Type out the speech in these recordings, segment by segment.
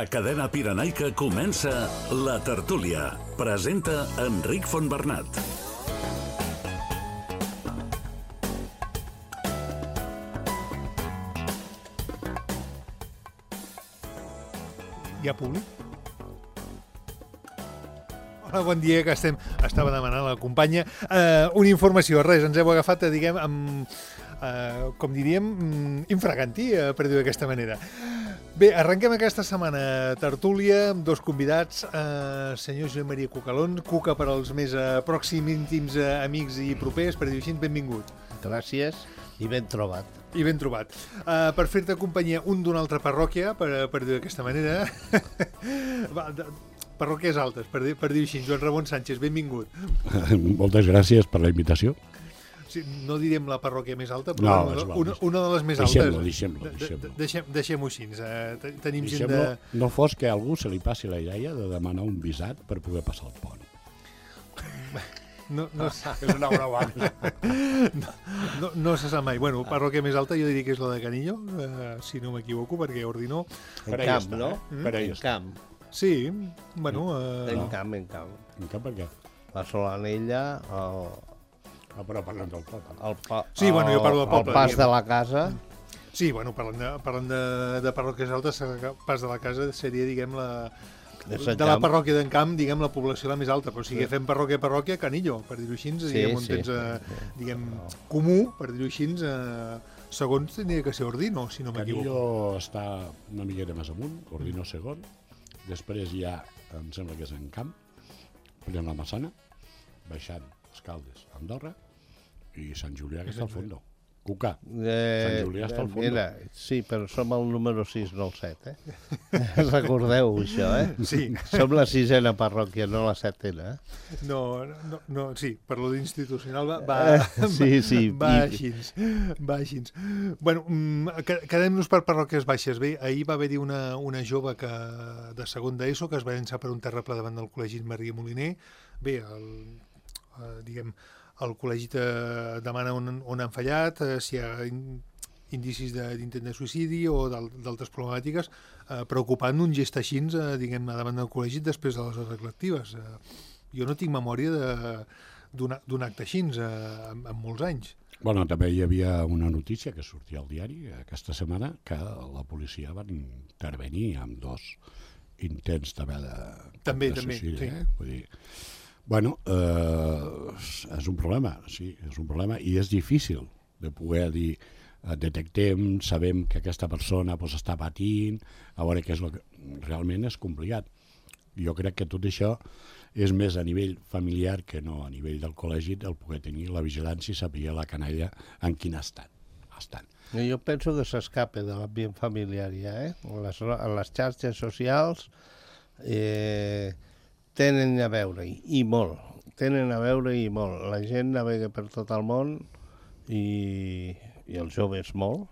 A Cadena Pirenaica comença La Tertúlia. Presenta Enric Fontbernat. Hi ha públic? Hola, bon dia, que estava demanant la companya. Una informació, res, ens heu agafat, diguem, amb, com diríem, infraganti, per dir-ho d'aquesta manera. Bé, arrenquem aquesta setmana tertúlia amb dos convidats, senyor Josep Maria Cucalón, Cuca per als més pròxims, íntims, amics i propers, per dir-ho així, benvingut. Gràcies i ben trobat. I ben trobat. Per fer-te companyia un d'una altra parròquia, per dir-ho d'aquesta manera. Parròquies altes, per dir-ho així. Joan Ramon Sánchez, benvingut. Moltes gràcies per la invitació. Sí, no direm la parròquia més alta, però una de les més altes. Deixem-ho així. Tenim gent de... No fos que a algú se li passi la idea de demanar un visat per poder passar el pont. No, és una broma. no se sap mai. Bueno, parròquia més alta jo diria que és la de Canillo, si no m'equivoco, perquè Ordinó... En camp, no? En camp. Sí, bueno... En camp. En camp per què? La Solanella, però parlem del poble. Sí, bueno, jo parlo del poble. El pas de la casa. Sí, bueno, parlant de parròquies altes, el pas de la casa seria, diguem, de la parròquia d'en Camp, diguem, la població la més alta, però si fem parròquia a parròquia, Canillo, per dir-ho així, diguem, on tens, diguem, comú, per dir-ho així, segons tindria que ser Ordino, si no m'equivoco. Canillo està una miqueta més amunt, Ordino segon, després ja, em sembla que és en Camp, prenent la Massana, baixant Escaldes, Andorra, i Sant Julià, que està al fondo. Cuca, Sant Julià està al fondo. Mira, sí, però som el número 6, no el 7, Recordeu això, Sí. Som la 6a parròquia, no la 7a, No, sí, per lo d'institucional va així. Bueno, quedem-nos per parròquies baixes. Bé, ahir va haver-hi una jove de segon d'ESO que es va llançar per un terraplè davant del col·legi Maria Moliner. Bé, el col·legi demana on han fallat, si hi ha indicis d'intent de suïcidi o d'altres problemàtiques, preocupant un gest així, diguem, davant del col·legi després de les hores lectives. Jo no tinc memòria d'un acte així en molts anys. Bueno, també hi havia una notícia que sortia al diari aquesta setmana que la policia va intervenir amb 2 intents de suïcidi. Sí. Vull dir, bueno, és un problema, sí, és un problema i és difícil de poder dir detectem, sabem que aquesta persona està patint, a veure què és el que realment és complicat. Jo crec que tot això és més a nivell familiar que no a nivell del col·legi el poder tenir la vigilància i saber la canalla en quin estat estan. Jo penso que s'escapa de l'ambient familiar ja, Les xarxes socials tenen a veure-hi, i molt. La gent navega per tot el món i els joves molt,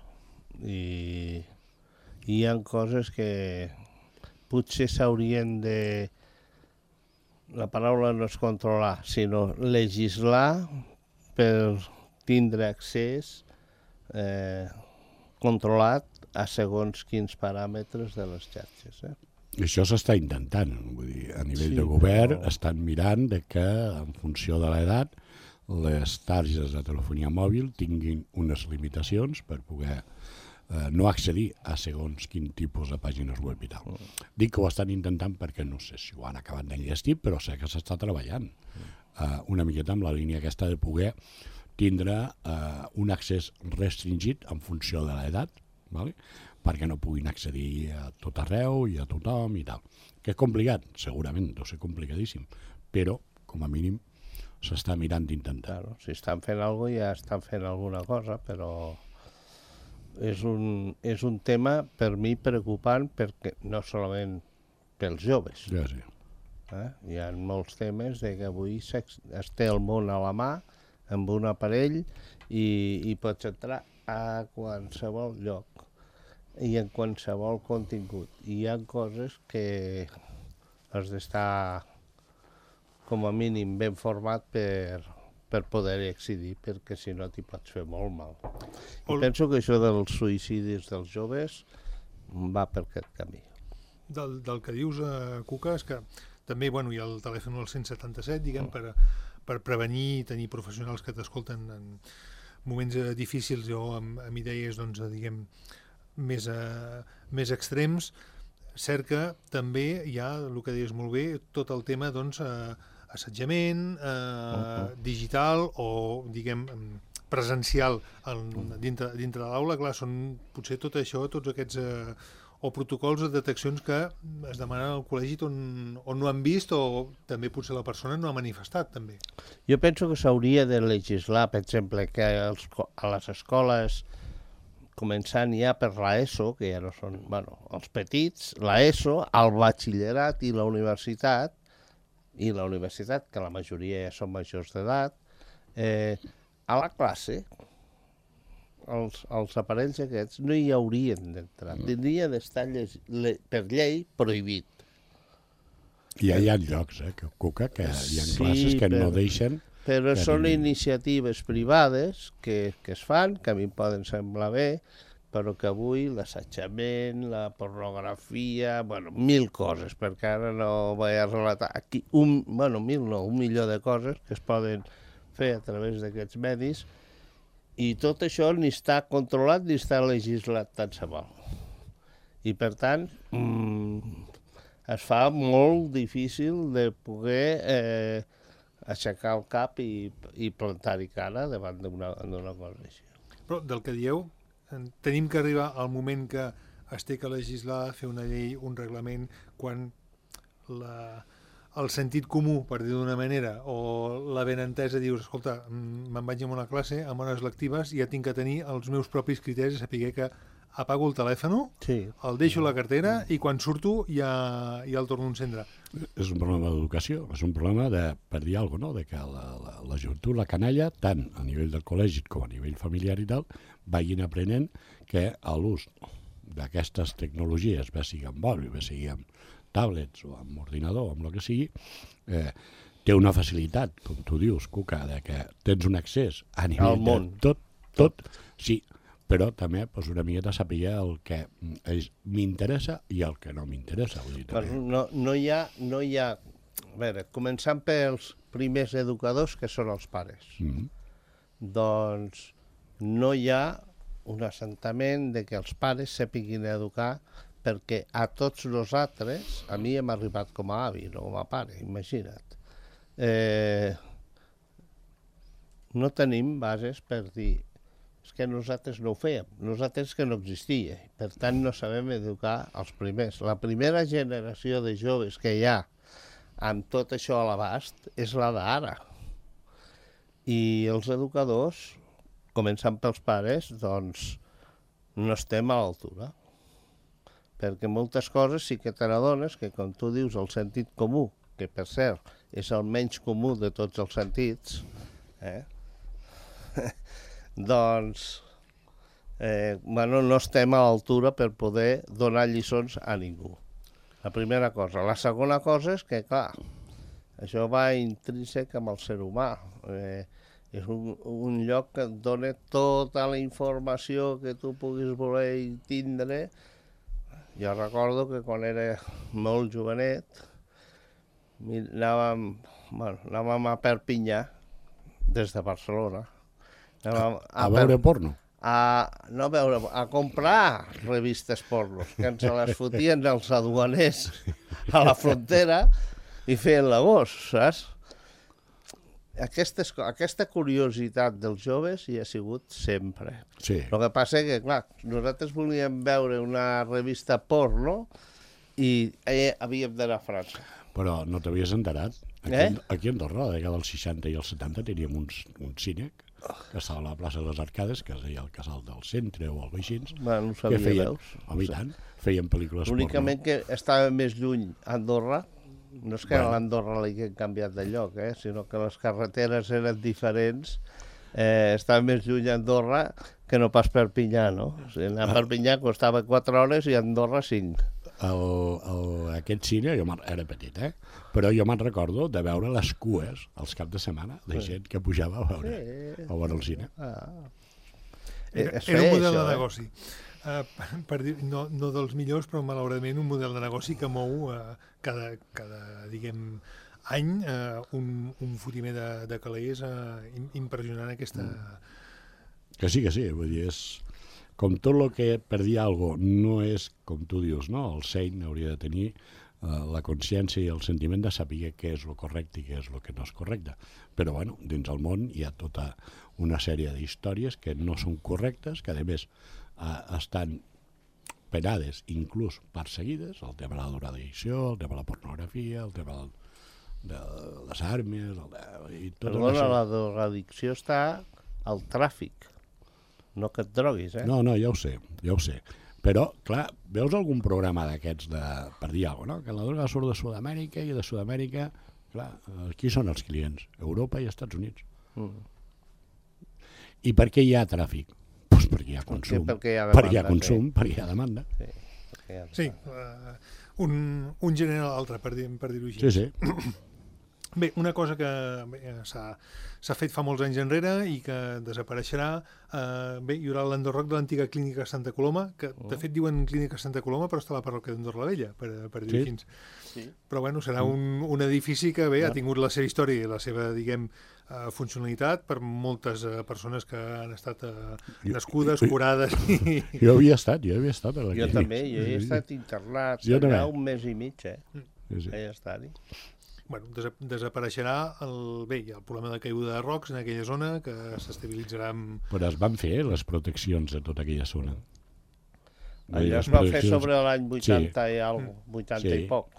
i hi ha coses que potser s'haurien de... La paraula no és controlar, sinó legislar per tindre accés controlat a segons quins paràmetres de les xarxes, I això s'està intentant, vull dir, a nivell de govern estan mirant de que en funció de l'edat les targes de telefonia mòbil tinguin unes limitacions per poder no accedir a segons quin tipus de pàgines web i tal. Dic que ho estan intentant perquè no sé si ho han acabat d'enllestir, però sé que s'està treballant una miqueta amb la línia aquesta de poder tindre un accés restringit en funció de l'edat, ¿vale? Perquè no puguin accedir a tot arreu i a tothom i tal. Que és complicat? Segurament, deu ser complicadíssim, però, com a mínim, s'està mirant d'intentar. Claro, si estan fent alguna cosa, ja estan fent alguna cosa, però és un tema, per mi, preocupant, perquè no solament pels joves. Ja, sí. Hi ha molts temes que avui es té el món a la mà, amb un aparell, i pots entrar a qualsevol lloc i en qualsevol contingut. I hi ha coses que has d'estar com a mínim ben format per poder accedir, perquè si no t'hi pots fer molt mal. I penso que això dels suïcidis dels joves va per aquest camí. del que dius, Cuca, és que també hi ha el telèfon al 177, diguem, per prevenir i tenir professionals que t'escolten en moments difícils o amb idees, doncs, diguem, més extrems. Cert que també hi ha, el que deies molt bé, tot el tema, doncs, assetjament, digital o, diguem, presencial dintre de l'aula. Clar, són potser tot això, tots aquests o protocols o deteccions que es demanen al col·legi on no han vist o també potser la persona no ha manifestat, també. Jo penso que s'hauria de legislar, per exemple, que a les escoles, començant ja per l'ESO, que ja no són, els petits, l'ESO, el batxillerat i la universitat, que la majoria ja són majors d'edat, a la classe, els aparells aquests no hi haurien d'entrar. Tindria d'estar per llei prohibit. I hi ha llocs, Cuca, que hi ha classes que no deixen... Però són iniciatives privades que es fan, que a mi em poden semblar bé, però que avui l'assetjament, la pornografia, 1.000 coses, perquè ara no vaig a relatar aquí, un milió de coses que es poden fer a través d'aquests medis, i tot això ni està controlat ni està legislat tant se val. I per tant, es fa molt difícil de poder aixecar el cap i plantar-hi cara davant d'una cosa així. Però del que dieu, tenim que arribar al moment que es té que legislar, fer una llei, un reglament, quan el sentit comú, per dir d'una manera, o la benentesa, dius, escolta, me'n vaig a una classe, amb hores lectives, i ja tinc que tenir els meus propis criteris, saber que apago el telèfon, el deixo a la cartera, i quan surto ja el torno a encendre. És un problema d'educació, és un problema per dir alguna cosa, de que la joventut, la canalla, tant a nivell del col·legi com a nivell familiar i tal, vagin aprenent que l'ús d'aquestes tecnologies, bé sigui amb mòbil, bé sigui amb tablets o amb ordinador, amb el que sigui, té una facilitat, com tu dius, Cuca, que tens un accés a nivell de tot, sí, però també una miqueta saber el que m'interessa i el que no m'interessa. No hi ha... A veure, començant pels primers educadors, que són els pares. Doncs no hi ha un assentament de que els pares sàpiguin educar, perquè a tots nosaltres, a mi hem arribat com a avi, no com a pare, imagina't. No tenim bases per dir, és que nosaltres no ho fèiem, nosaltres que no existia, per tant no sabem educar els primers. La primera generació de joves que hi ha amb tot això a l'abast és la d'ara. I els educadors, començant pels pares, doncs no estem a l'altura. Perquè moltes coses sí que te n'adones que, com tu dius, el sentit comú, que per cert és el menys comú de tots els sentits, doncs no estem a l'altura per poder donar lliçons a ningú. La primera cosa. La segona cosa és que, clar, això va intrínsec amb el ser humà. És un lloc que et dona tota la informació que tu puguis voler i tindre. Jo recordo que quan era molt jovenet anàvem a Perpinyà des de Barcelona. A veure porno? A comprar revistes porno, que ens les fotien els aduaners a la frontera i feien l'agost, saps? Aquesta curiositat dels joves hi ha sigut sempre. Sí. El que passa és que, clar, nosaltres volíem veure una revista porno i havíem d'anar a França. Però no t'havies enterat? Aquí a Andorra, a la dècada dels 60 i els 70, teníem un cine que estava a la plaça de les Arcades, que es deia el Casal del Centre o el Veixins. No ho sabia, veus? Home, i tant, feien pel·lícules porno. Únicament que estava més lluny Andorra. No és que a l'Andorra l'hagin canviat de lloc, sinó que les carreteres eren diferents. Estava més lluny a Andorra que no pas Perpinyà, no? O sigui, anar a Perpinyà costava 4 hores i a Andorra 5. Aquest cine, jo era petit, però jo me'n recordo de veure les cues als caps de setmana de gent que pujava a veure el cine. Era un model de negoci. no dels millors, però malauradament un model de negoci que mou cada diguem, any un fotimer de calés impressionant aquesta... Que sí, vull dir, és... Com tot el que per dir alguna cosa no és, com tu dius, no? El seny hauria de tenir la consciència i el sentiment de saber què és el correcte i què és el que no és correcte. Però, bueno, dins el món hi ha tota una sèrie d'històries que no són correctes, que a més estan penades, inclús perseguides, el tema de la drogadicció, el tema de la pornografia, el tema de les armes... Perdona, la drogadicció està al tràfic. No que et droguis, No, ja ho sé. Però, clar, veus algun programa d'aquests per dir alguna cosa, no? Que la droga surt de Sud-amèrica i de Sud-amèrica, clar, qui són els clients? Europa i Estats Units. I per què hi ha tràfic? Doncs perquè hi ha consum. Perquè hi ha demanda. Sí, un genera l'altre, per dir-ho així. Sí. Bé, una cosa que s'ha fet fa molts anys enrere i que desapareixerà, hi haurà l'Andorroc de l'antiga clínica Santa Coloma, que de fet diuen clínica Santa Coloma, però està a la parròquia d'Andorra la Vella, per dir-ho així. Sí. Però bueno, serà un edifici que ha tingut la seva història i la seva, diguem, funcionalitat per moltes persones que han estat nascudes, curades. Jo havia estat a la clínica. Jo també, jo he estat internat allà un mes i mig, he estat-hi. Bueno, desapareixerà el problema de caiguda de rocs en aquella zona, que s'estabilitzarà amb... Però es van fer les proteccions de tota aquella zona. Allò es va fer sobre l'any 80 i poc.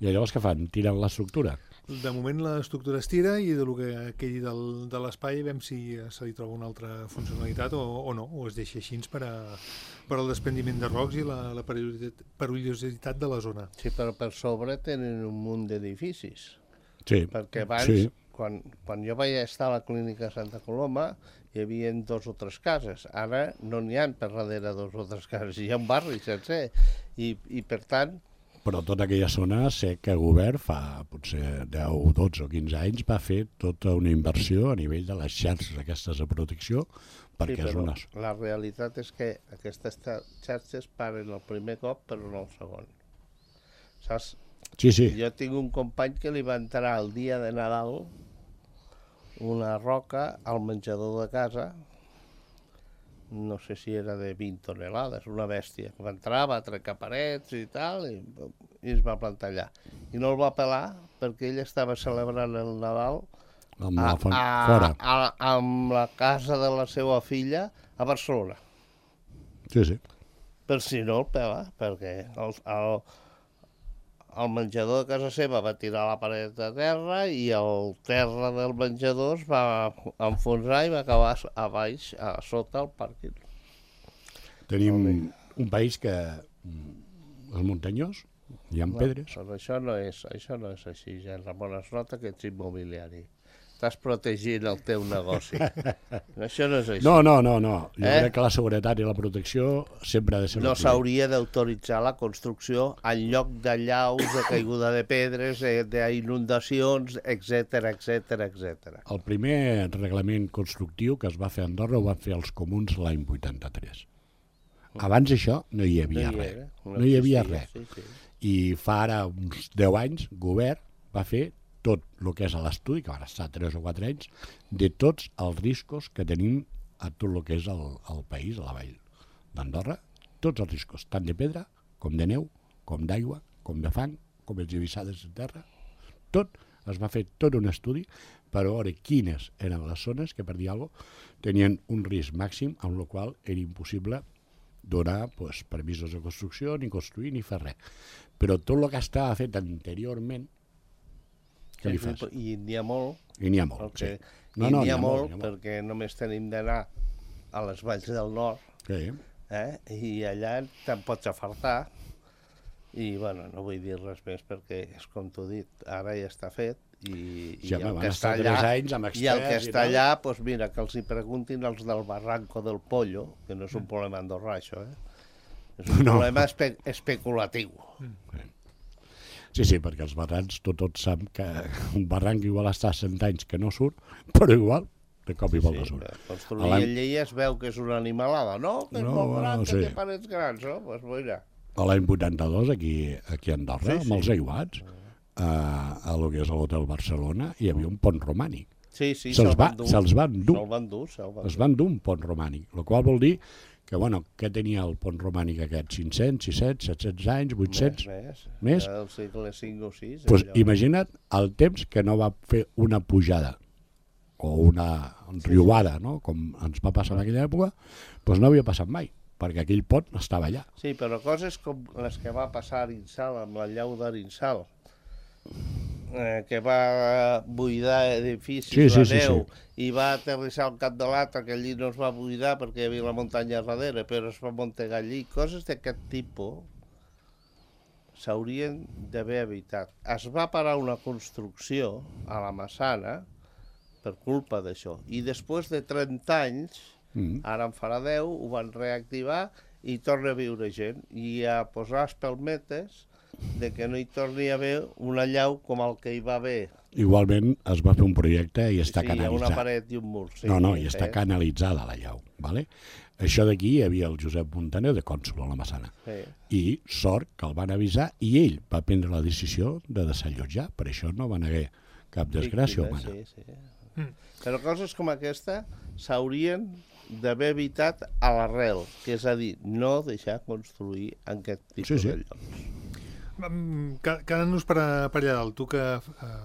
I llavors què fan? Tiren l'estructura? De moment l'estructura es tira i del que quedi de l'espai veiem si se li troba una altra funcionalitat o no, o es deixa així per al desprendiment de rocs i la perillositat de la zona. Sí, però per sobre tenen un munt d'edificis. Sí. Perquè abans, quan jo vaig estar a la clínica Santa Coloma, hi havia 2 o 3 cases. Ara no n'hi ha per darrere 2 o 3 cases, hi ha un barri sencer. I per tant... Però tota aquella zona sé que el govern fa potser 10, 12 o 15 anys va fer tota una inversió a nivell de les xarxes aquestes de protecció perquè és una... La realitat és que aquestes xarxes paren el primer cop però no el segon. Saps? Sí. Jo tinc un company que li va entrar el dia de Nadal una roca al menjador de casa, no sé si era de 20 tonelades, una bèstia, que va entrar, va trencar parets i tal, i es va plantar allà. I no el va pelar perquè ell estava celebrant el Nadal fora. Amb la casa de la seva filla a Barcelona. Sí. Per si no el pela, perquè el menjador de casa seva va tirar la paret a terra i el terra del menjador es va enfonsar i va acabar a baix, a sota el pàrquing. Tenim un país que és muntanyós, hi ha pedres. Però això no és així, Jean Ramon, es nota que ets immobiliari. Estàs protegint el teu negoci. Això no és així. No. Jo crec que la seguretat i la protecció sempre ha de ser... No s'hauria d'autoritzar la construcció en lloc de llaus, de caiguda de pedres, d'inundacions, etc. El primer reglament constructiu que es va fer a Andorra ho van fer els comuns l'any 83. Abans això no hi havia res. No hi havia res. I fa ara uns 10 anys, el govern va fer tot el que és a l'estudi, que van estar 3 o 4 anys, de tots els riscos que tenim a tot el que és el país, a la vall d'Andorra, tots els riscos, tant de pedra, com de neu, com d'aigua, com de fang, com esllavissades de terra, tot, es va fer tot un estudi per veure quines eren les zones que, per dir alguna cosa, tenien un risc màxim, amb el qual era impossible donar permisos de construcció, ni construir, ni fer res. Però tot el que estava fet anteriorment, què li fas? I n'hi ha molt. I n'hi ha molt, sí. N'hi ha molt perquè només tenim d'anar a les valls del nord, i allà te'n pots afartar. I, bueno, no vull dir res més perquè, és com t'ho he dit, ara ja està fet. I el que està allà, doncs mira, que els hi preguntin els del Barranco del Pollo, que no és un problema andorrà, això, és un problema especulatiu. Sí, perquè els barrancs, tots saben que un barranc igual està 100 anys que no surt, però igual de cop i volta surt. Construir en Lleida es veu que és una animalada, no? Que és molt gran, que té parets grans, no? Doncs mira. A l'any 82, aquí a Andorra, amb els aiguats, a lo que és l'Hotel Barcelona, hi havia un pont romànic. Sí, se'ls van dur. Es van dur un pont romànic, el qual vol dir que, bueno, què tenia el pont romànic aquest? 500, 600, 700 anys, 800? Més? El segle V o VI. Doncs imagina't el temps que no va fer una pujada o una riuada, no? Com ens va passar en aquella època, doncs no havia passat mai, perquè aquell pont estava allà. Sí, però coses com les que va passar a Arinsal, amb la llau d'Arinsal, que va buidar edificis la neu i va aterrissar al cap de l'altre, que allí no es va buidar perquè hi havia la muntanya darrere, però es va muntegar allí. Coses d'aquest tipus s'haurien d'haver evitat. Es va parar una construcció a la Massana per culpa d'això. I després de 30 anys, ara en farà 10, ho van reactivar i torna a viure gent. I a posar espelmetes de que no hi torni a haver una llau com el que hi va haver. Igualment es va fer un projecte i està canalitzat. Sí, hi ha una paret i un mur. Sí, i està canalitzada la llau. Vale? Això d'aquí hi havia el Josep Montaner de cònsol a la Massana. Sí. I sort que el van avisar i ell va prendre la decisió de desallotjar. Per això no van haver cap desgràcia humana. Sí. Però coses com aquesta s'haurien d'haver evitat a l'arrel, que és a dir, no deixar construir en aquest tipus de llocs. Quedant-nos per allà dalt, tu que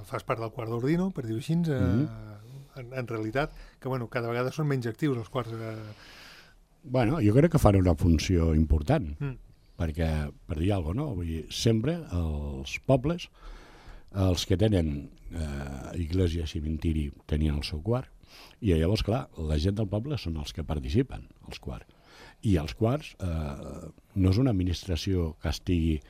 fas part del quart d'Ordino, per dir-ho així, en realitat, que bueno, cada vegada són menys actius els quarts. Bueno, jo crec que fan una funció important, perquè, per dir alguna cosa, no? Vull dir, sempre els pobles, els que tenen església i cementiri, tenien el seu quart, i llavors, clar, la gent del poble són els que participen, els quarts. I els quarts no és una administració que estigui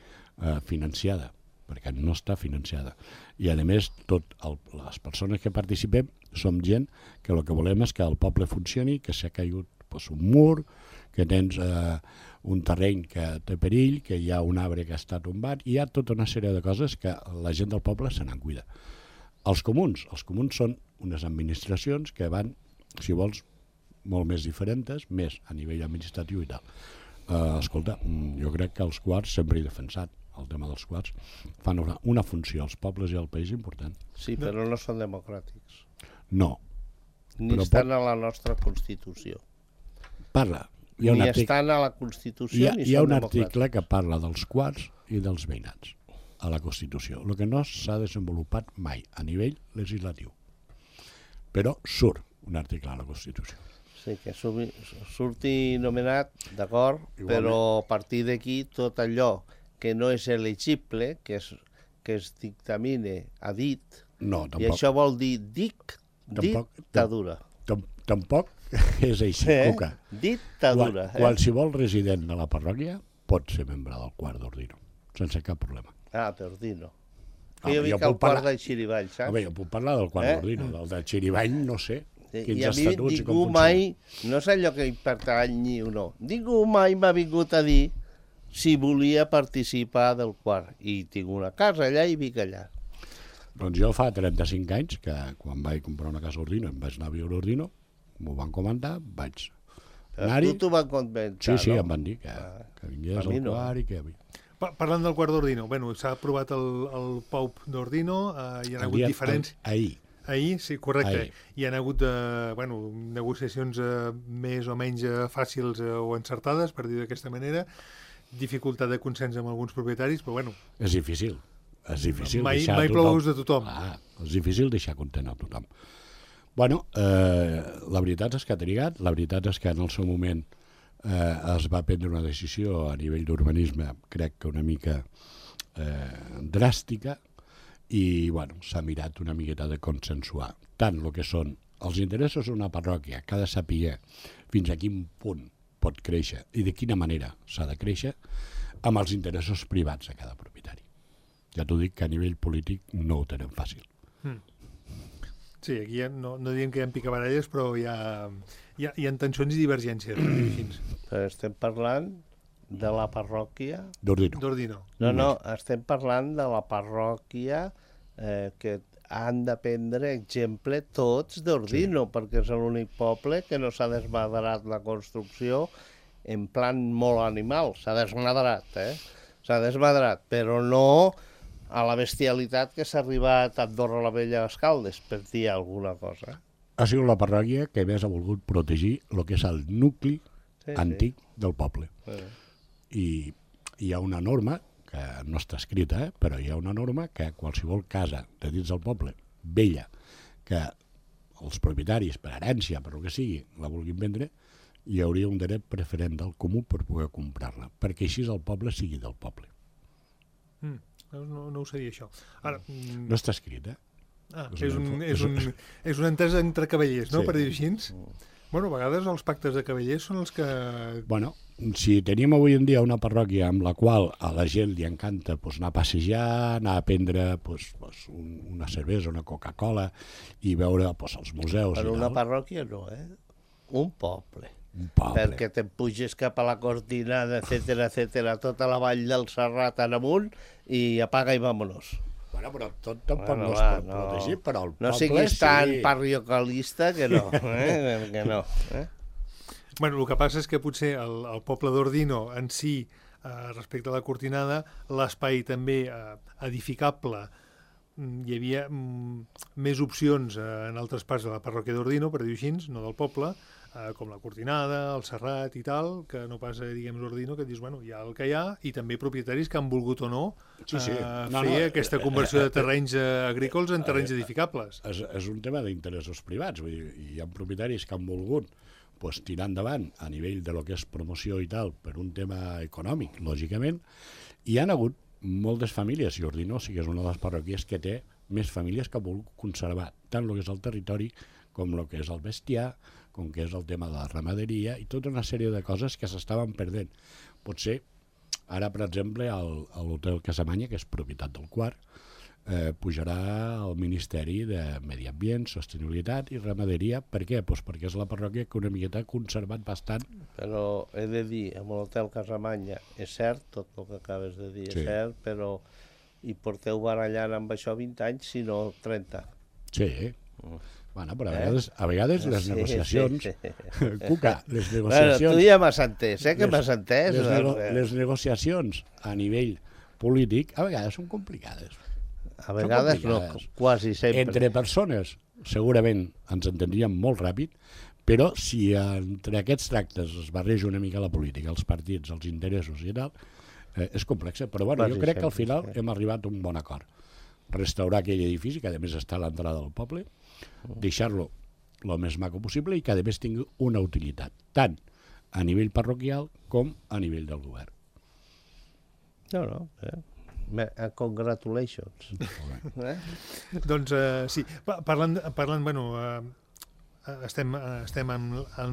financiada, perquè no està financiada. I a més, les persones que participem som gent que el que volem és que el poble funcioni, que s'ha caigut un mur, que tens un terreny que té perill, que hi ha un arbre que està tombat, i hi ha tota una sèrie de coses que la gent del poble se n'en cuida. Els comuns són unes administracions que van, si vols, molt més diferents, més a nivell administratiu i tal. Escolta, jo crec que els quarts sempre he defensat el tema dels quarts, fan una funció als pobles i al país important. Sí, però no són democràtics. No. Ni estan a la nostra Constitució. Parla. Ni estan a la Constitució ni són democràtics. Hi ha un article que parla dels quarts i dels veïnats a la Constitució, el que no s'ha desenvolupat mai a nivell legislatiu. Però surt un article a la Constitució. Sí, que surti nomenat, d'acord, però a partir d'aquí tot allò que no és elegible, que es dictamine a dit, i això vol dir dictadura. Tampoc és així, Cuca. Dictadura. Qualsevol resident de la parròquia pot ser membre del quart d'Ordino, sense cap problema. Ah, d'Ordino. Jo vinc al quart de Xirivall, saps? Jo puc parlar del quart d'Ordino, del de Xirivall no sé. I a mi ningú mai, no és allò que hi pertanyi o no, ningú mai m'ha vingut a dir si volia participar del quart. I tinc una casa allà i vic allà. Doncs jo fa 35 anys que quan vaig comprar una casa a Ordino, em vaig anar a viure a Ordino, m'ho van comentar, vaig anar-hi. Tu t'ho van comentar, no? Sí, em van dir que vingués al quart i que... Parlant del quart d'Ordino, bueno, s'ha aprovat el POUP d'Ordino, hi ha hagut diferents... Ahir, sí, correcte. Hi ha hagut negociacions més o menys fàcils o encertades, per dir d'aquesta manera, dificultat de consens amb alguns propietaris, però bueno... És difícil. Mai plous de tothom. És difícil deixar content a tothom. Bueno, la veritat és que ha trigat, la veritat és que en el seu moment es va prendre una decisió a nivell d'urbanisme, crec que una mica dràstica, i bueno, s'ha mirat una miqueta de consensuar tant el que són els interessos d'una parròquia, que ha de saber fins a quin punt pot créixer i de quina manera s'ha de créixer, amb els interessos privats de cada propietari. Ja t'ho dic que a nivell polític no ho tenen fàcil. Sí, aquí no diem que hi ha picabaralles, però hi ha tensions i divergències. Però estem parlant de la parròquia... d'Ordino. No, estem parlant de la parròquia que han de prendre exemple tots d'Ordino, perquè és l'únic poble que no s'ha desmadrat la construcció en plan molt animal. S'ha desmadrat, S'ha desmadrat, però no a la bestialitat que s'ha arribat a Andorra la Vella a Escaldes, per dir alguna cosa. Ha sigut la parròquia que més ha volgut protegir el que és el nucli antic del poble. I hi ha una norma, que no està escrita, però hi ha una norma que qualsevol casa de dins del poble, vella, que els propietaris, per herència, per el que sigui, la vulguin vendre, hi hauria un dret preferent del comú per poder comprar-la, perquè així el poble sigui del poble. No ho sabia, això. Ara, no està escrit, és una entesa entre cavallers, no? Sí. Per dir així. Bueno, a vegades els pactes de cavallers són els que... Bueno, si tenim avui en dia una parròquia amb la qual a la gent li encanta anar a passejar, anar a prendre una cervesa, una Coca-Cola i veure els museus... Per una parròquia no, un poble. Perquè te'n puges cap a la Cortinada, etcètera, tota la vall del Serrat en amunt i apaga i vámonos. Bueno, però tot tampoc no es pot protegir, però el poble... No siguis tan parroquialista que no, que no. Bueno, el que passa és que potser el poble d'Ordino en si, respecte a la Cortinada, l'espai també edificable, hi havia més opcions en altres parts de la parròquia d'Ordino, per dir-ho així, no del poble, com la Cortinada, el Serrat i tal, que no passa, diguem, l'Ordino, que et dius, bueno, hi ha el que hi ha, i també propietaris que han volgut o no fer aquesta conversió de terrenys agrícoles en terrenys edificables. És un tema d'interessos privats, vull dir, hi ha propietaris que han volgut tirar endavant a nivell de lo que és promoció i tal, per un tema econòmic, lògicament, i hi ha hagut moltes famílies, i Ordino sí que és una de les parròquies que té més famílies que ha volgut conservar tant el que és el territori com el que és el bestiar, com que és el tema de la ramaderia i tota una sèrie de coses que s'estaven perdent. Potser, ara, per exemple, l'Hotel Casamanya, que és propietat del Quart, pujarà al Ministeri de Medi Ambient, Sostenibilitat i Ramaderia. Per què? Doncs perquè és la parròquia que una miqueta ha conservat bastant. Però he de dir, amb l'Hotel Casamanya, és cert, tot el que acabes de dir és cert, però hi porteu barallant amb això 20 anys, si no 30. Sí. Bueno, però a vegades les negociacions... Cuca, les negociacions... Bueno, tu ja m'has entès, que m'has entès. Les negociacions a nivell polític a vegades són complicades. A vegades no, quasi sempre. Entre persones segurament ens entendríem molt ràpid, però si entre aquests tractes es barreja una mica la política, els partits, els interessos i tal, és complex. Però bueno, jo crec que al final hem arribat a un bon acord. Restaurar aquell edifici, que a més està a l'entrada del poble, deixar-lo el més maco possible i que a més tingui una utilitat, tant a nivell parroquial com a nivell del govern. Congratulations. Doncs sí, parlant bueno, estem en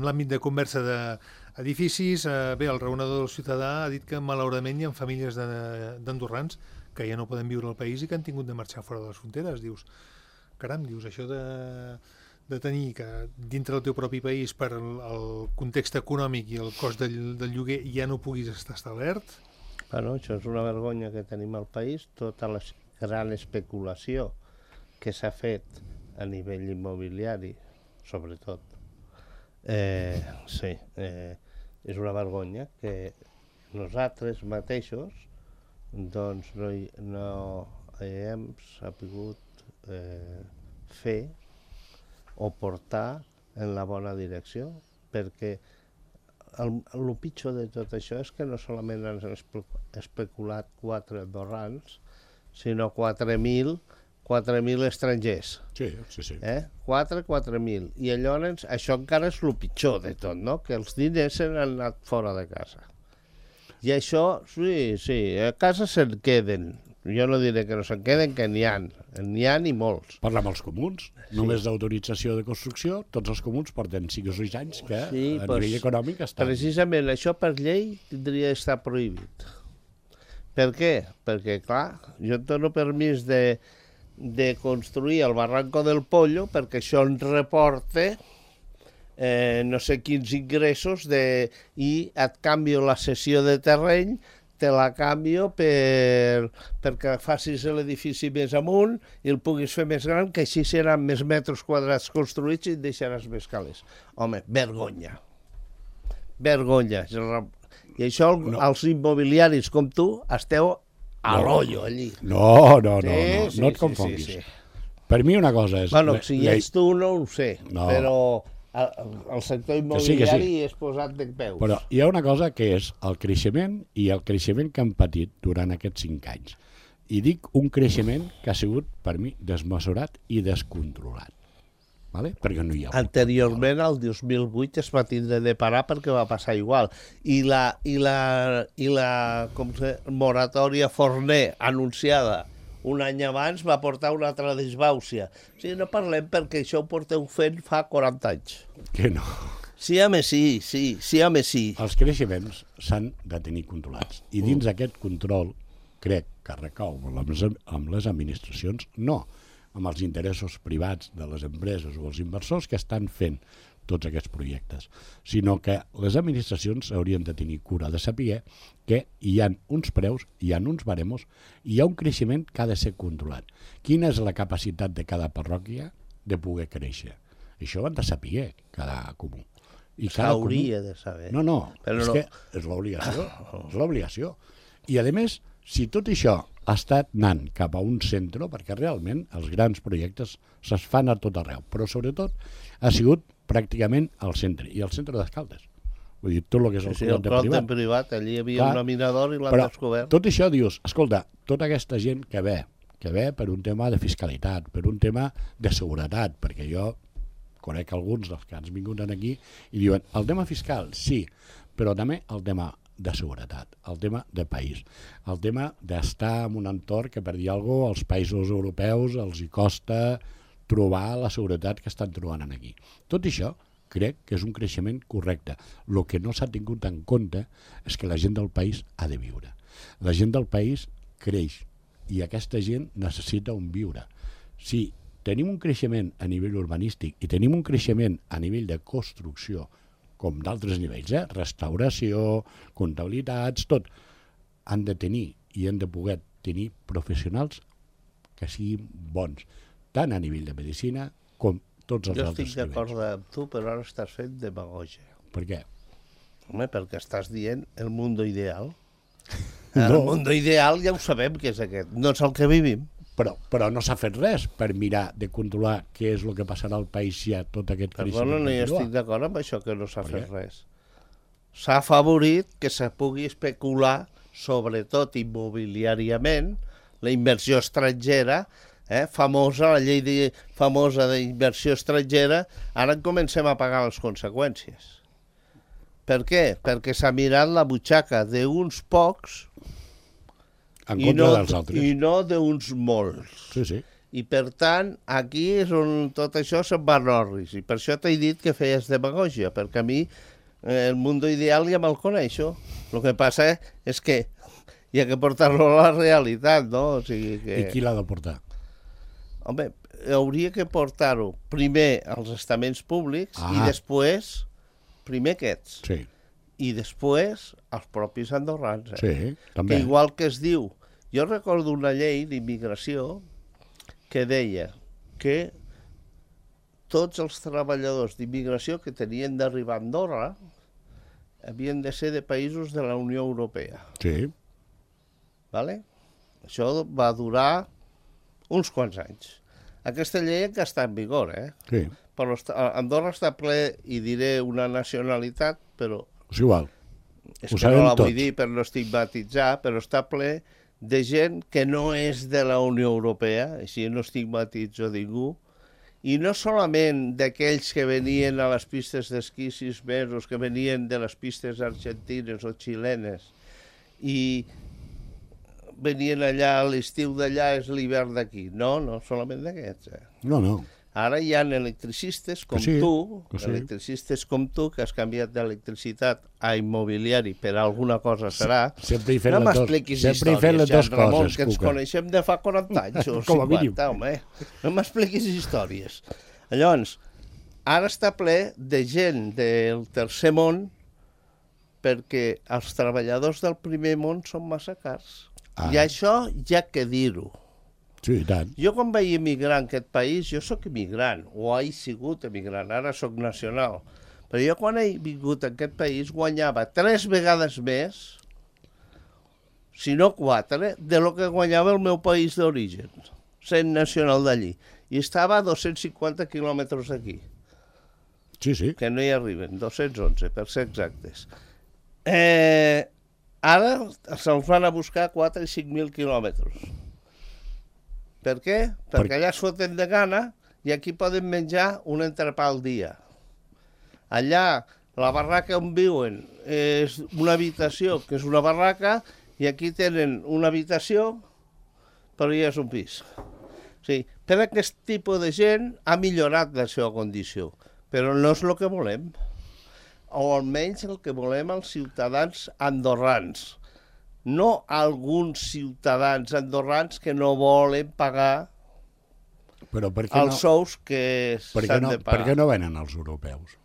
l'àmbit de conversa d'edificis. Bé, el raonador del ciutadà ha dit que malauradament hi ha famílies d'andorrans que ja no poden viure al país i que han tingut de marxar fora de les fronteres. Dius, caram, això de tenir que dintre del teu propi país per el context econòmic i el cost del lloguer ja no puguis estar establert. Bueno, això és una vergonya que tenim al país, tota la gran especulació que s'ha fet a nivell immobiliari, sobretot. Sí, és una vergonya que nosaltres mateixos doncs no hem sabut fer o portar en la bona direcció, perquè el pitjor de tot això és que no solament han especulat 4 andorrans, sinó 4.000 estrangers. Sí. 4.000. I llavors això encara és el pitjor de tot, no? Que els diners s'han anat fora de casa. I això, sí, a casa se'n queden. Jo no diré que no se'n queden, que n'hi ha i molts. Parla amb els comuns. Només d'autorització de construcció, tots els comuns porten 5 o 6 anys que a nivell econòmic estan... Precisament això per llei tindria d'estar prohibit. Per què? Perquè, clar, jo et dono permís de construir el Barranco del Pollo perquè això ens reporta no sé quins ingressos i et canvio la cessió de terreny te la canvio perquè facis l'edifici més amunt i el puguis fer més gran, que així seran més metres quadrats construïts i et deixaràs més calés. Home, vergonya. Vergonya. I això els immobiliaris com tu esteu a l'ollo allí. No et confonguis. Sí. Per mi una cosa és... Bueno, si ets tu no ho sé, però el sector immobiliari és posat de peus. Però hi ha una cosa que és el creixement i el creixement que han patit durant aquests 5 anys. I dic un creixement que ha sigut, per mi, desmesurat i descontrolat. Vale? Perquè no hi ha... Anteriorment, el 2008 es va tindre de parar perquè va passar igual. I la moratòria Forner anunciada un any abans va portar una altra desbàusia. O sigui, no parlem perquè això ho porteu fent fa 40 anys. Que no. Sí, home, sí. Els creixements s'han de tenir controlats. I dins d'aquest control, crec que recau amb les administracions, no amb els interessos privats de les empreses o els inversors que estan fent tots aquests projectes, sinó que les administracions haurien de tenir cura de saber que hi ha uns preus, hi ha uns baremos, i hi ha un creixement que ha de ser controlat. Quina és la capacitat de cada parròquia de poder créixer? Això ho han de saber cada comú. S'hauria de saber. No, que és l'obligació. I, a més, si tot això ha estat anant cap a un centre, perquè realment els grans projectes se'ls fan a tot arreu, però sobretot ha sigut pràcticament al centre, i al centre d'Escaldes. Vull dir, tot el que és el clot de privat. Allí hi havia un minador i l'han descobert. Tot això dius, escolta, tota aquesta gent que ve per un tema de fiscalitat, per un tema de seguretat, perquè jo conec alguns dels que han vingut aquí i diuen, el tema fiscal, sí, però també el tema de seguretat, el tema de país, el tema d'estar en un entorn que, per dir alguna cosa, als països europeus els hi costa trobar la seguretat que estan trobant aquí. Tot això crec que és un creixement correcte. El que no s'ha tingut en compte és que la gent del país ha de viure. La gent del país creix i aquesta gent necessita un viure. Si tenim un creixement a nivell urbanístic i tenim un creixement a nivell de construcció, com d'altres nivells, restauració, comptabilitats, tot, han de tenir i han de poder tenir professionals que siguin bons, tant a nivell de medicina com tots els altres nivells. Jo estic d'acord amb tu, però ara estàs fent demagògia. Per què? Home, perquè estàs dient el mundo ideal. El mundo ideal ja ho sabem que és aquest, no és el que vivim. Però no s'ha fet res per mirar de controlar què és el que passarà al país si hi ha tot aquest creixement. Perdona, no hi estic d'acord amb això, que no s'ha fet res. S'ha afavorit que se pugui especular, sobretot immobiliàriament, la inversió estrangera, famosa, la llei famosa d'inversió estrangera, ara en comencem a pagar les conseqüències. Per què? Perquè s'ha mirat la butxaca d'uns pocs en contra dels altres. I no d'uns molts. Sí. I per tant, aquí és on tot això se'n va en orris. I per això t'he dit que feies demagògia, perquè a mi el mundo ideal ja me'l coneixo. El que passa és que hi ha que portar-lo a la realitat, no? O sigui que... I qui l'ha de portar? Home, hauria que portar-ho primer als estaments públics i després, primer aquests. Sí. I després els propis andorrans. Sí, també. Que igual que es diu... Jo recordo una llei d'immigració que deia que tots els treballadors d'immigració que tenien d'arribar a Andorra havien de ser de països de la Unió Europea. Sí. Vale? Això va durar uns quants anys. Aquesta llei que està en vigor, Sí. Però Andorra està ple, i diré una nacionalitat, però... És igual. És que no la vull dir per no estigmatitzar, però està ple de gent que no és de la Unió Europea, així no estigmatitzo ningú, i no solament d'aquells que venien a les pistes d'esquí 6 mesos, que venien de les pistes argentines o xilenes, i venien allà, l'estiu d'allà és l'hivern d'aquí. No, solament d'aquests. No. Ara hi ha electricistes com electricistes com tu, que has canviat d'electricitat a immobiliari, per alguna cosa serà. Sempre hi fem no m'expliquis històries, Jean Ramon, que ens coneixem de fa 40 anys o 50, home. No m'expliquis històries. Llavors, ara està ple de gent del tercer món perquè els treballadors del primer món són massa cars. Ah. I això ja que dir-ho. Sí, i tant. Jo quan vaig emigrar en aquest país, jo sóc immigrant, o he sigut immigrant, ara sóc nacional, però jo quan he vingut a aquest país guanyava 3 vegades més, si no 4, de lo que guanyava el meu país d'origen, sent nacional d'allí. I estava a 250 quilòmetres d'aquí. Sí, sí. Que no hi arriben, 211, per ser exactes. Ara se'ls van a buscar 4 i 5.000 quilòmetres. Per què? Perquè allà es foten de gana i aquí poden menjar un entrepà al dia. Allà, la barraca on viuen és una habitació, que és una barraca, i aquí tenen una habitació, però ja és un pis. Sí, per aquest tipus de gent ha millorat la seva condició, però no és el que volem. O almenys el que volem els ciutadans andorrans. No alguns ciutadans andorrans que no volen pagar els sous que s'han de pagar. Per què no venen els europeus?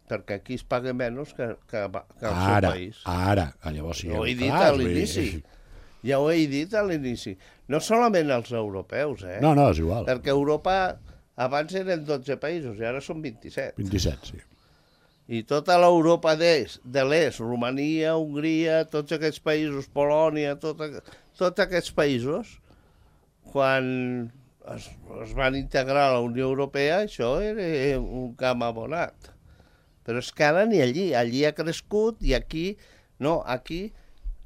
Perquè aquí es paga menys que al seu país. Ara, llavors sí. Ho he dit a l'inici. Ja ho he dit a l'inici. No solament els europeus, No, és igual. Perquè Europa abans eren 12 països i ara són 27. 27, sí. I tota l'Europa de l'est, Romania, Hongria, tots aquests països, Polònia, tots aquests països, quan es van integrar a la Unió Europea, això era un camp abonat. Però és que ara ni allí ha crescut i aquí, no, aquí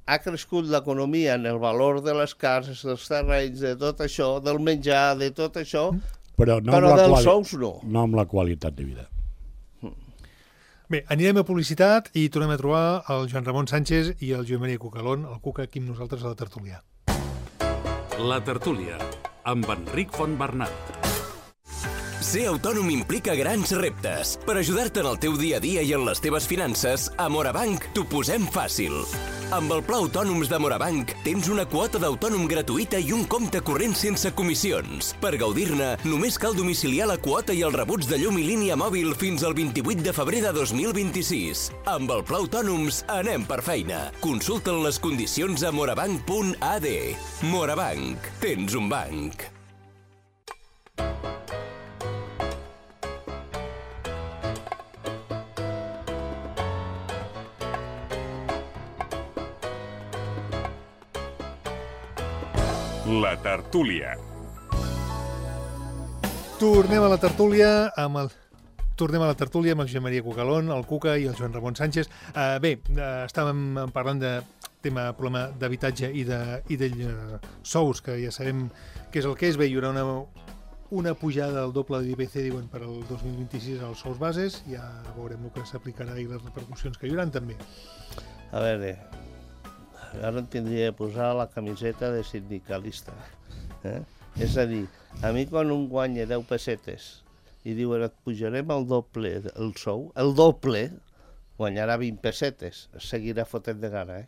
ha crescut l'economia en el valor de les cases, dels terrenys, de tot això, del menjar, de tot això, però dels sous no. No amb la qualitat de vida. Bé, anirem a publicitat i tornem a trobar el Joan Ramon Sánchez i el Joan Maria Cucalón, el Cuca, aquí amb nosaltres a la tertúlia. La tertúlia, amb Enric Fontbernat. Ser autònom implica grans reptes. Per ajudar-te en el teu dia a dia i en les teves finances, a Morabanc t'ho posem fàcil. Amb el Pla Autònoms de Morabanc tens una quota d'autònom gratuïta i un compte corrent sense comissions. Per gaudir-ne, només cal domiciliar la quota i els rebuts de llum i línia mòbil fins al 28 de febrer de 2026. Amb el Pla Autònoms anem per feina. Consulta'n les condicions a morabanc.ad. Morabanc. Tens un banc. La tertúlia. Tornem a la tertúlia amb el Josep Maria Cucalón, el Cuca i el Joan Ramon Sánchez. Bé, estàvem parlant de problema d'habitatge i de sous, que ja sabem què és el que és. Bé, hi haurà una pujada del doble de l'IPC, diuen, per al 2026 als sous bases. Ja veurem el que s'aplicarà i les repercussions que hi haurà també. A veure, ara em tindria de posar la camiseta de sindicalista. És a dir, a mi quan un guanya 10 pessetes i diuen et pujarem el doble el sou, el doble, guanyarà 20 pessetes, seguirà fotent de gana.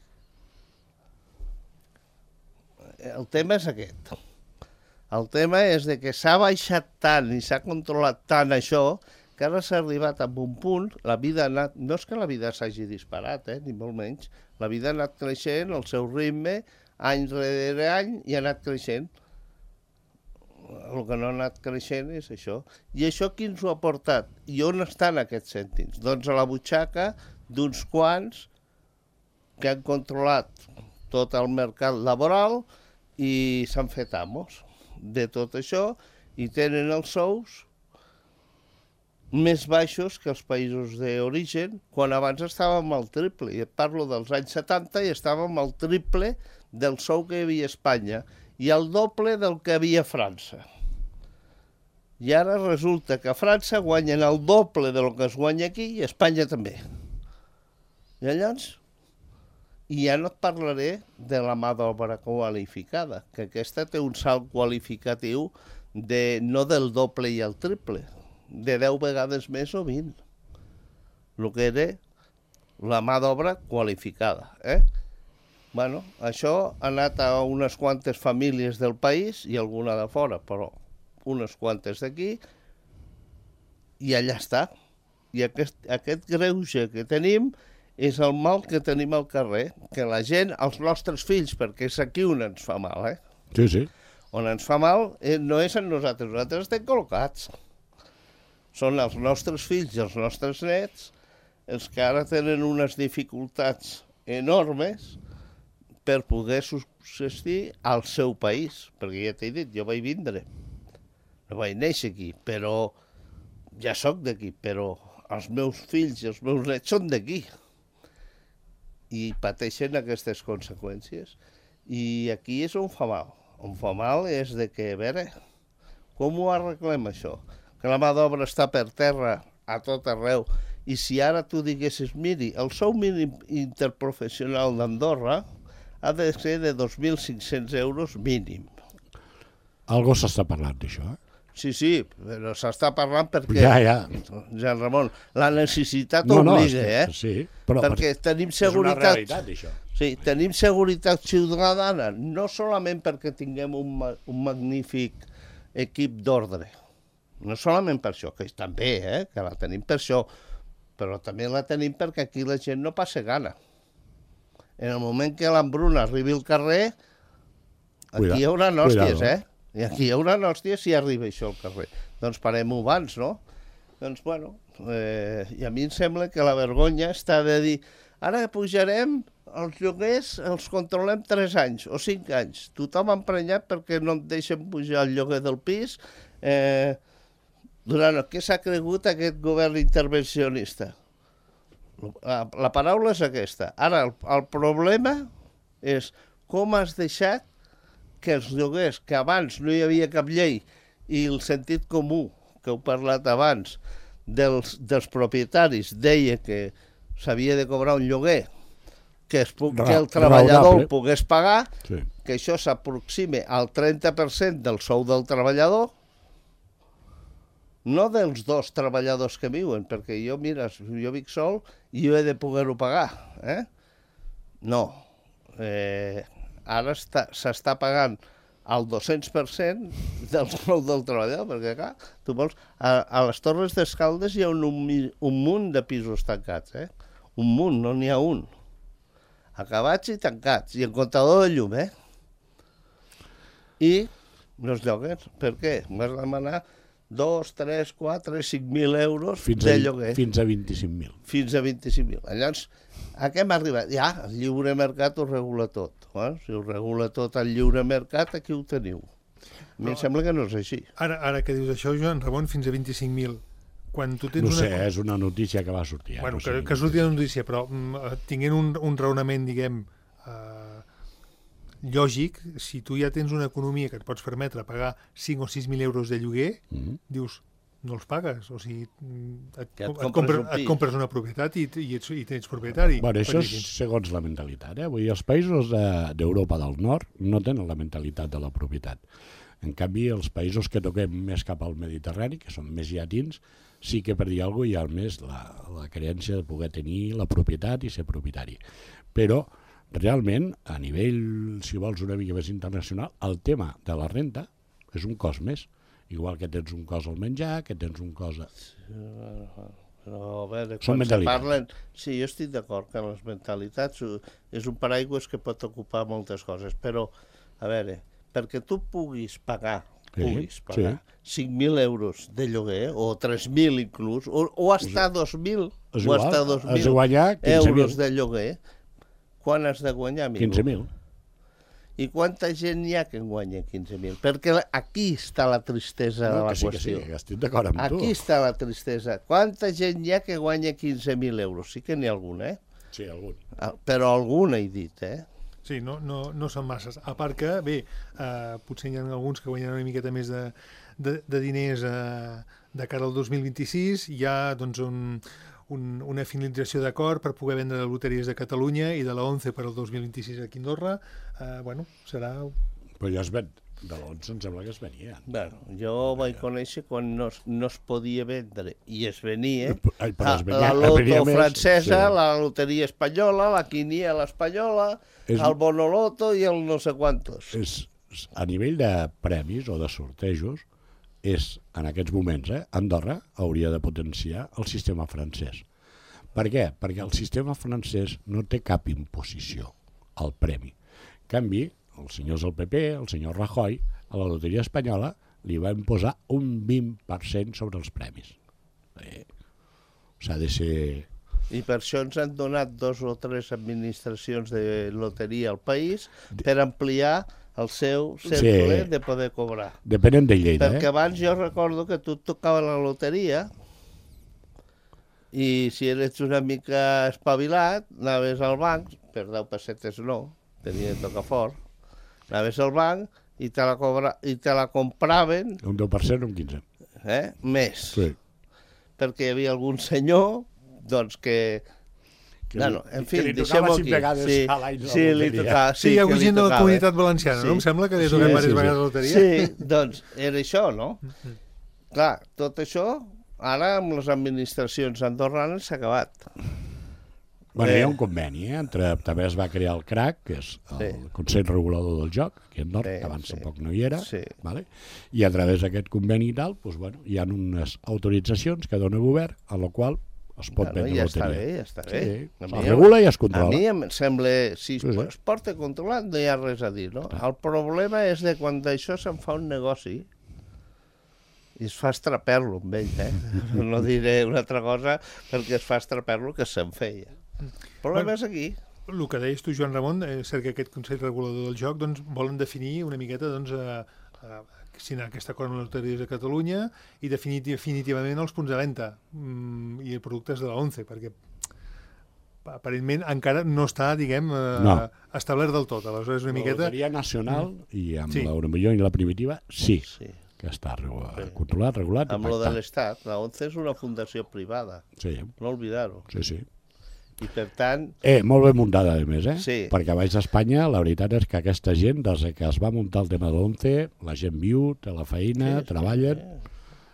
El tema és aquest. El tema és de que s'ha baixat tant i s'ha controlat tant això que ara s'ha arribat a un punt, la vida ha anat, no és que la vida s'hagi disparat, ni molt menys, la vida ha anat creixent, el seu ritme, any rere any, i ha anat creixent. El que no ha anat creixent és això. I això qui ens ho ha portat? I on estan aquests cèntims? Doncs a la butxaca d'uns quants que han controlat tot el mercat laboral i s'han fet amos de tot això i tenen els sous més baixos que els països d'origen, quan abans estàvem al triple. I et parlo dels anys 70 i estàvem al triple del sou que hi havia a Espanya i el doble del que hi havia a França. I ara resulta que a França guanyen el doble del que es guanya aquí i a Espanya també. I llavors, i ja no et parlaré de la mà d'obra qualificada, que aquesta té un salt qualificatiu no del doble i el triple, de 10 vegades més o 20. El que era la mà d'obra qualificada. Bueno, això ha anat a unes quantes famílies del país i alguna de fora, però unes quantes d'aquí, i allà està. I aquest greuge que tenim és el mal que tenim al carrer, que la gent, els nostres fills, perquè és aquí on ens fa mal, Sí, sí. On ens fa mal no és en nosaltres estem col·locats. Són els nostres fills i els nostres nets els que ara tenen unes dificultats enormes per poder subsistir al seu país. Perquè ja t'he dit, jo vaig vindre. No vaig néixer aquí, però ja sóc d'aquí, però els meus fills i els meus nets són d'aquí. I pateixen aquestes conseqüències. I aquí és on fa mal. On fa mal és de que, a veure, com ho arreglem això? Que la mà d'obra està per terra a tot arreu. I si ara tu diguessis, miri, el sou mínim interprofessional d'Andorra ha de ser de 2.500 euros mínim. Algo s'està parlant d'això, Sí, però s'està parlant perquè... Ja. Jean Ramon, la necessitat obliga, Sí, però perquè tenim és una seguretat... realitat, això. Sí, tenim seguretat ciutadana, no solament perquè tinguem un magnífic equip d'ordre, no solament per això, que també, que la tenim per això, però també la tenim perquè aquí la gent no passa gana. En el moment que l'embruna arribi al carrer, aquí hi haurà hòsties, I aquí hi haurà hòsties si arriba això al carrer. Doncs parem-ho abans, no? Doncs, bueno, i a mi em sembla que la vergonya està de dir ara pujarem els lloguers, els controlem 3 anys o 5 anys. Tothom emprenyat perquè no et deixen pujar el lloguer del pis. Durant què s'ha cregut aquest govern intervencionista? La paraula és aquesta. Ara, el problema és com has deixat que els lloguers, que abans no hi havia cap llei, i el sentit comú, que heu parlat abans, dels propietaris, deia que s'havia de cobrar un lloguer, que el treballador el pogués pagar, que això s'aproxime al 30% del sou del treballador, no dels 2 treballadors que viuen, perquè jo, mira, jo vic sol i jo he de poder-ho pagar. No. Ara s'està pagant el 200% del sou del treballador, perquè, clar, tu vols... A les Torres d'Escaldes hi ha un munt de pisos tancats, Un munt, no n'hi ha un. Acabats i tancats, i en comptador de llum, I els lloguers, per què? Vas demanar 2, 3, 4, 5.000 euros de lloguer. Fins a 25.000. Fins a 25.000. Llavors, a què hem arribat? Ja, el lliure mercat ho regula tot. Si ho regula tot el lliure mercat, aquí ho teniu. A mi em sembla que no és així. Ara que dius això, Joan Ramon, fins a 25.000. Quan tu tens és una notícia que va sortir. Bueno, que sortia una notícia, però tinguent un raonament, diguem, lògic, si tu ja tens una economia que et pots permetre pagar 5 o 6.000 euros de lloguer, dius, no els pagues, o sigui, et compres una propietat i tens propietari. Bueno, això és segons la mentalitat. Vull dir, els països d'Europa del Nord no tenen la mentalitat de la propietat. En canvi, els països que toquem més cap al Mediterrani, que són més llatins, sí que per dir alguna cosa hi ha més la creença de poder tenir la propietat i ser propietari. Però, realment, a nivell, si vols, una mica més internacional, el tema de la renta és un cost més. Igual que tens un cost al menjar, que tens un cost... Però, a veure, són mentalitats. Sí, jo estic d'acord que les mentalitats és un paraigües que pot ocupar moltes coses, però, a veure, perquè tu puguis pagar 5.000 euros de lloguer, o 3.000 inclús, o hasta 2.000 euros de lloguer, quan has de guanyar? 15.000. I quanta gent hi ha que en guanya 15.000? Perquè aquí està la tristesa de la qüestió. Sí, estic d'acord amb tu. Aquí està la tristesa. Quanta gent hi ha que guanya 15.000 euros? Sí que n'hi ha algun, Sí, algun. Però algun he dit, Sí, no són masses. A part que, bé, potser hi ha alguns que guanyen una miqueta més de diners de cara al 2026. Hi ha doncs, una finalització d'acord per poder vendre les loteries de Catalunya i de la 11 per al 2026 aquí a Andorra. Bueno, serà... Però ja es ven. De l'11 em sembla que es venia. Bueno, jo vaig conèixer quan no es podia vendre i es venia la loto francesa, la loteria espanyola, la quiniela espanyola, el bonoloto i el no sé quantos. A nivell de premis o de sortejos, en aquests moments, Andorra hauria de potenciar el sistema francès. Per què? Perquè el sistema francès no té cap imposició al premi. En canvi, els senyors del PP, el senyor Rajoy, a la loteria espanyola li va imposar un 20% sobre els premis. S'ha de ser... I per això ens han donat 2 o 3 administracions de loteria al país per ampliar el seu cercle de poder cobrar. Depenent de Lleida, Perquè abans jo recordo que tu tocava la loteria i si eres una mica espavilat, anaves al banc, per 10 pessetes no, tenia de tocar fort, anaves al banc i te la compraven... Un 10%, un 15%. Més. Sí. Perquè hi havia algun senyor doncs que en fi, deixem-ho aquí. Sí, li tocava. Sí, hi ha hagut gent de la Comunitat Valenciana, no? Em sembla que li toquen diverses vegades la loteria. Sí, doncs era això, no? Clar, tot això, ara amb les administracions andorranes s'ha acabat. Bueno, hi ha un conveni, també es va crear el CRAC, que és el Consell Regulador del Joc, aquí a Nord, que abans tampoc no hi era, i a través d'aquest conveni i tal, hi ha unes autoritzacions que dona el govern, a la qual es pot vendre loteria. Ja està bé. Es regula i es controla. A mi em sembla, si es porta controlat no hi ha res a dir, no? El problema és de quan d'això se'n fa un negoci i es fa estraper-lo amb ell, No diré una altra cosa perquè es fa estraper-lo que se'n feia. El problema és aquí. El que deies tu, Joan Ramon, és cert que aquest Consell Regulador del Joc volen definir una miqueta signar aquest acord amb les loteries de Catalunya i definir definitivament els punts de venda i els productes de la ONCE, perquè aparentment encara no està, diguem, establert del tot. Aleshores, una miqueta... La Loteria Nacional i amb l'Euromillón i la Primitiva, sí, que està controlat, regulat. Amb lo de l'Estat, la ONCE és una fundació privada. Sí. No oblidar-ho. Sí. I per tant... Molt ben muntada, a més, Sí. Perquè a baix d'Espanya, la veritat és que aquesta gent, des que es va muntar el tema de l'ONCE, la gent viu, té la feina, treballen...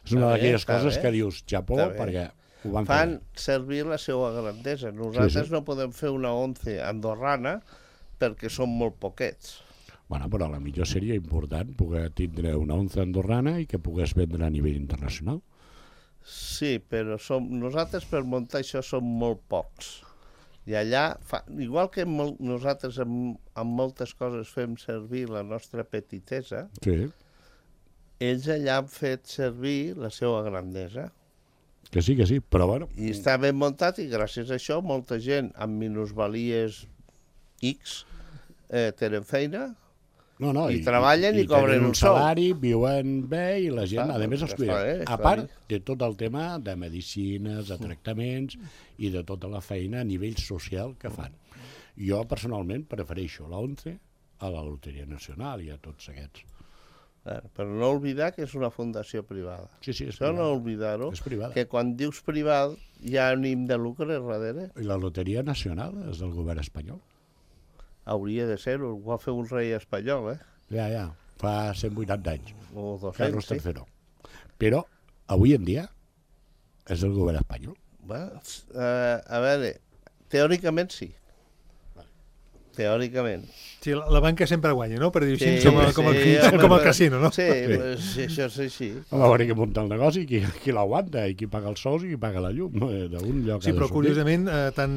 És una d'aquelles coses que dius Japó, perquè ho van fer. Fan servir la seva grandesa. Nosaltres no podem fer una ONCE andorrana perquè som molt poquets. Bueno, però a la millor seria important poder tindre una ONCE andorrana i que pogués vendre a nivell internacional. Sí, però nosaltres per muntar això som molt pocs. I allà, igual que nosaltres amb moltes coses fem servir la nostra petitesa, ells allà han fet servir la seva grandesa. Que sí, però bueno... I està ben muntat i gràcies a això molta gent amb minusvalies X tenen feina i treballen i cobren un sou. Salari, viuen bé i la gent, a més, els cuida. A part de tot el tema de medicines, de tractaments i de tota la feina a nivell social que fan. Jo, personalment, prefereixo la ONCE a la Loteria Nacional i a tots aquests. Però no oblidar que és una fundació privada. Sí, és privada. Això no oblidar-ho, que quan dius privat hi ha ànim de lucre darrere. I la Loteria Nacional és del govern espanyol. Hauria de ser-ho, ho va fer un rei espanyol, Ja, fa 180 anys. O 200, Carlos III. Però, avui en dia, és del govern espanyol. A veure, teòricament sí. Teòricament. Sí, la banca sempre guanya, no? Per dir així, com el casino, no? Sí, això és així. Va haver que muntar el negoci, qui l'aguanta i qui paga els sous i qui paga la llum. D'un lloc sí, però curiosament, tant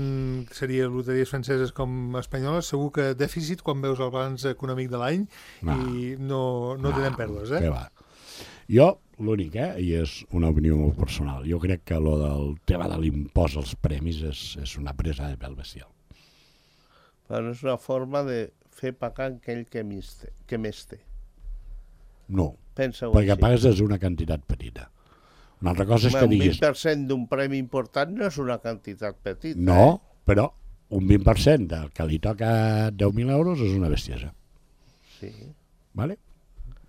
seria loteries franceses com espanyoles, segur que dèficit quan veus el balanç econòmic de l'any i no tenen pèrdues, Què va? Jo, l'únic, i és una opinió molt personal, jo crec que el del tema de l'impost als premis és una presa de pèl bestial. Però és una forma de fer pagar aquell que més té. No, pensa-ho perquè pagues és una quantitat petita. Una altra cosa és que diguis... Un 20% d'un premi important no és una quantitat petita. No, però un 20% del que li toca 10.000 euros és una bestiesa. Sí. Vale?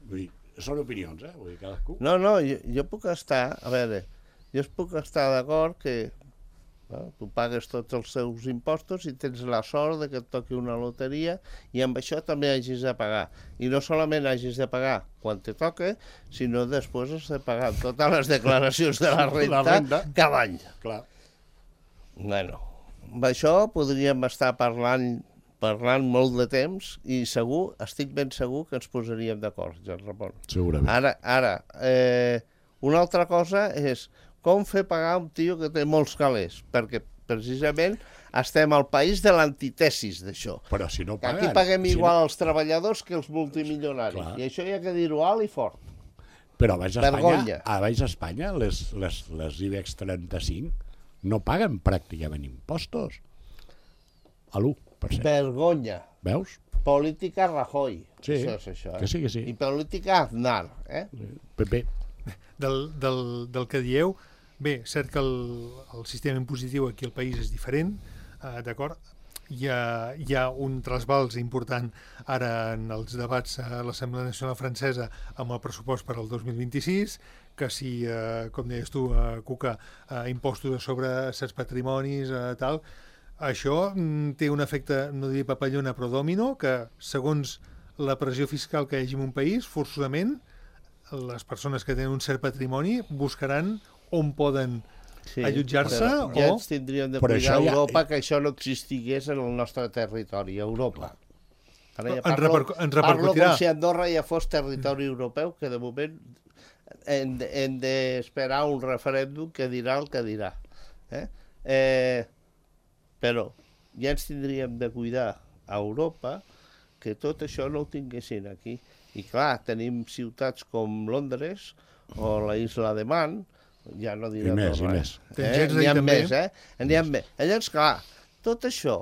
Vull dir, són opinions, Vull dir, cadascú... No, jo puc estar... A veure, jo puc estar d'acord que... Tu pagues tots els teus impostos i tens la sort de que et toqui una loteria i amb això també hagis de pagar. I no solament hagis de pagar quan te toque, sinó després has de pagar totes les declaracions de la renta cada any. Clar. Bueno, amb això podríem estar parlant molt de temps i estic ben segur que ens posaríem d'acord, Joan Ramon. Segurament. Ara, una altra cosa és com fer pagar un tio que té molts calés, perquè precisament estem al país de l'antitesis d'això. Però si no paguen... Aquí paguem igual els treballadors que els multimilionaris. Clar. I això hi ha que dir-ho alt i fort. Però a baix Vergonya. Espanya les IBEX 35 no paguen pràcticament impostos. A l'1%. Vergonya. Veus? Política Rajoy. Sí, Això és això, que sí. I política Aznar. PP. Del que dieu, bé, cert que el sistema impositiu aquí al país és diferent, d'acord? Hi ha un trasbals important ara en els debats a l'Assemblea Nacional Francesa amb el pressupost per al 2026, que si, com deies tu, Cuca, impostos sobre certs patrimonis, tal, això té un efecte, no diria papallona, però dòmino, que segons la pressió fiscal que hi hagi en un país, forçosament, les persones que tenen un cert patrimoni buscaran on poden allotjar-se ja o... ens tindríem de Però cuidar a això ja- Europa que això no existigués en el nostre territori, a Europa. Ara ja Ens parlo repercutirà. com si Andorra ja fos territori europeu, que de moment hem d'esperar un referèndum que dirà el que dirà. Però ja ens tindríem de cuidar a Europa que tot això no ho tinguessin aquí. I clar, tenim ciutats com Londres o la Isla de Man, ja no diré I més, Andorra, i més. N'hi ha més, N'hi ha més. Llavors, clar, tot això...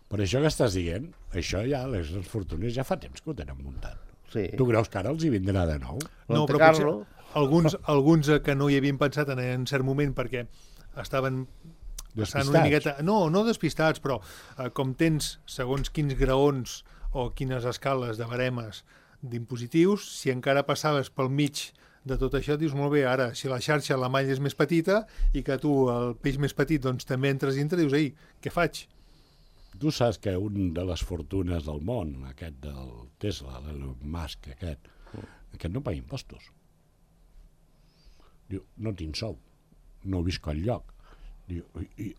Per això que estàs dient, això ja, les fortunes ja fa temps que ho tenen muntat. Sí. Tu creus que ara els hi vindrà de nou? No, Monte però Carlo. potser alguns que no hi havien pensat en cert moment perquè estaven passant una miqueta... No despistats, però com tens segons quins graons o quines escales de baremes d'impositius, si encara passaves pel mig de tot això, dius, molt bé, ara, si la xarxa, la malla és més petita i que tu, el peix més petit, doncs també entres dintre, dius, ei, què faig? Tu saps que un de les fortunes del món, aquest del Tesla, l'Elon Musk, aquest no paga impostos. Diu, no tinc sou, no visc enlloc. Diu,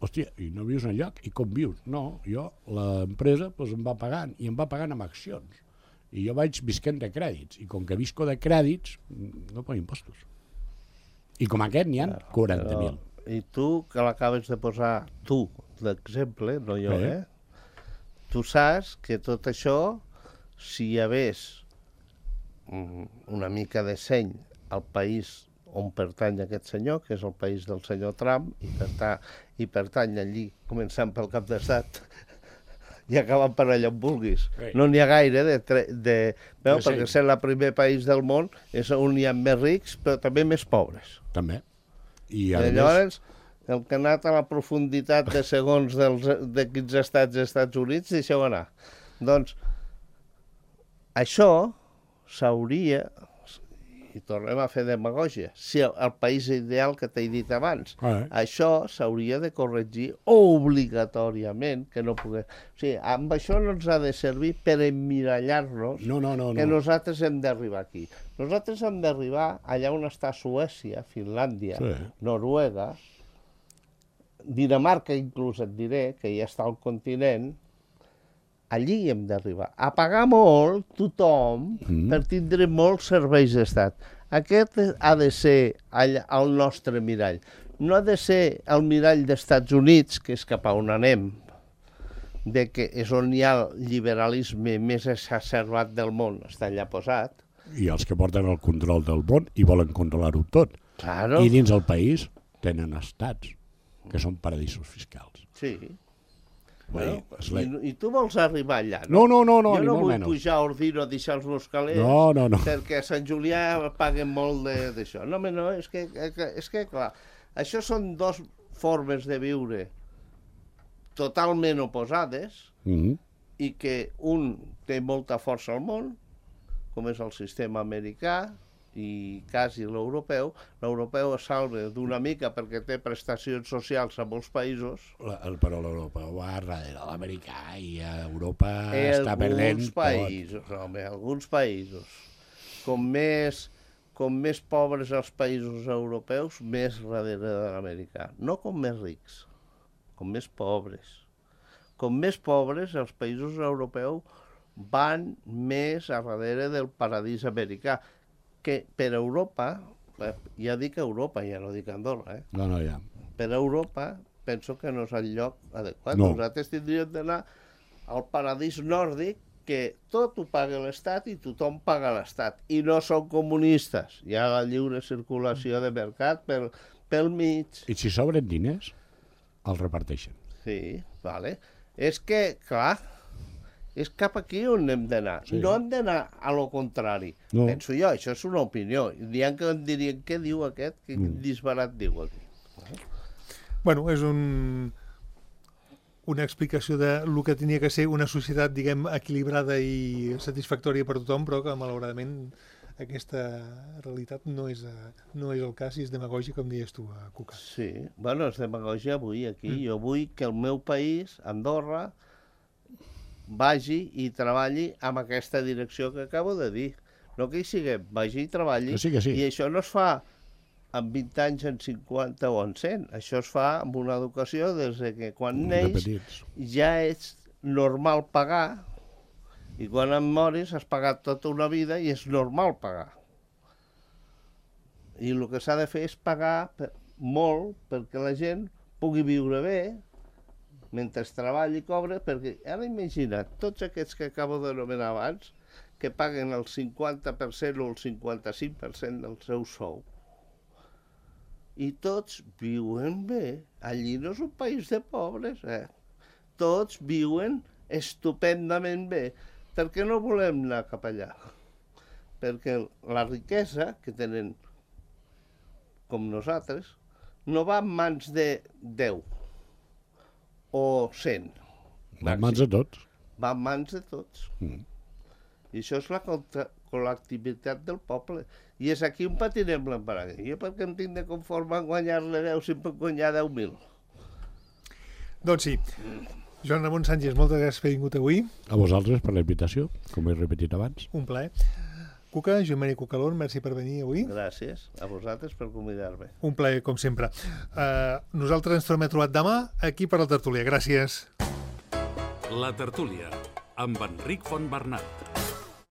hòstia, i no vius enlloc? I com vius? No, jo, l'empresa doncs, em va pagant, i em va pagant amb accions. I jo vaig visquent de crèdits, i com que visco de crèdits, no pago impostos. I com aquest n'hi ha 40.000. I tu, que l'acabes de posar, tu, l'exemple, no jo, tu saps que tot això, si hi hagués una mica de seny al país on pertany aquest senyor, que és el país del senyor Trump, i pertany allí, començant pel cap d'estat, i acabant per allà on vulguis. No n'hi ha gaire perquè ser el primer país del món és on hi ha més rics, però també més pobres. També. I llavors, el que ha anat a la profunditat de segons de quins estats dels Estats Units, deixeu anar. Doncs, això s'hauria, i tornem a fer demagògia, si el país ideal que t'he dit abans, això s'hauria de corregir obligatòriament, que no pogués... O sigui, amb això no ens ha de servir per emmirallar-nos que nosaltres hem d'arribar aquí. Nosaltres hem d'arribar allà on està Suècia, Finlàndia, Noruega, Dinamarca inclús et diré, que ja està al continent, allí hem d'arribar. A pagar molt, tothom, per tindre molts serveis d'estat. Aquest ha de ser el nostre mirall. No ha de ser el mirall dels Estats Units, que és cap a on anem, de que és on hi ha el liberalisme més exacerbat del món, està allà posat. I els que porten el control del món i volen controlar-ho tot. Claro. I dins el país tenen estats, que són paradisos fiscals. Sí. Bueno, I tu vols arribar allà, no? No, jo no vull pujar a Ordino a deixar els meus calés perquè a Sant Julià paguen molt d'això. No, és que clar, això són dues formes de viure totalment oposades i que un té molta força al món, com és el sistema americà, i quasi l'europeu. L'europeu es salva d'una mica perquè té prestacions socials a molts països. Però l'europeu va darrere l'americà i a Europa està perdent tot. Alguns països. Com més pobres els països europeus, més darrere de l'americà. No com més rics, com més pobres. Com més pobres, els països europeus van més a darrere del paradís americà, que per Europa, ja dic Europa, ja no dic Andorra, No, ja. Per Europa penso que no és el lloc adequat. No. Nosaltres tindríem d'anar al paradís nòrdic, que tot ho paga l'Estat i tothom paga l'Estat. I no són comunistes. Hi ha la lliure circulació de mercat pel mig. I si sobren diners, els reparteixen. Sí, vale. És que, clar, és cap aquí on hem d'anar. Sí. No hem d'anar a lo contrari. No. Penso jo, això és una opinió. Diran que em dirien, què diu aquest? Quin disbarat diu aquí? Bueno, és una explicació de lo que tenia que ser una societat, diguem, equilibrada i satisfactòria per tothom, però que, malauradament, aquesta realitat no és el cas i és demagògia, com deies tu, Cuca. Sí, bueno, és demagògia avui aquí. Jo vull que el meu país, Andorra, vagi i treballi amb aquesta direcció que acabo de dir. No que hi siguem, vagi i treballi. Que sí. I això no es fa en 20 anys, en 50 o en 100. Això es fa amb una educació des que quan neix ja és normal pagar, i quan em moris has pagat tota una vida i és normal pagar. I el que s'ha de fer és pagar molt perquè la gent pugui viure bé mentre treballi i cobra, perquè ara imagina't, tots aquests que acabo d'anomenar abans, que paguen el 50% o el 55% del seu sou, i tots viuen bé. Allí no és un país de pobres, Tots viuen estupendament bé. Per què no volem anar cap allà? Perquè la riquesa que tenen, com nosaltres, no va en mans de 10 o 100. Va en mans de tots. Va en mans de tots. I això és la col·lectivitat del poble. I és aquí on patinem l'embaràs. Jo perquè em tinc de conformar en guanyar-ne 10 si em puc guanyar 10.000. Doncs sí. Joan Ramon Sánchez, moltes gràcies per haver vingut avui. A vosaltres per la invitació, com he repetit abans. Un plaer. Cuca, Joan Maria Cucalón, merci per venir avui. Gràcies a vosaltres per convidar-me. Un plaer, com sempre. Nosaltres ens tornem a trobar demà aquí per la tertúlia. Gràcies. La tertúlia, amb Enric Fontbernat.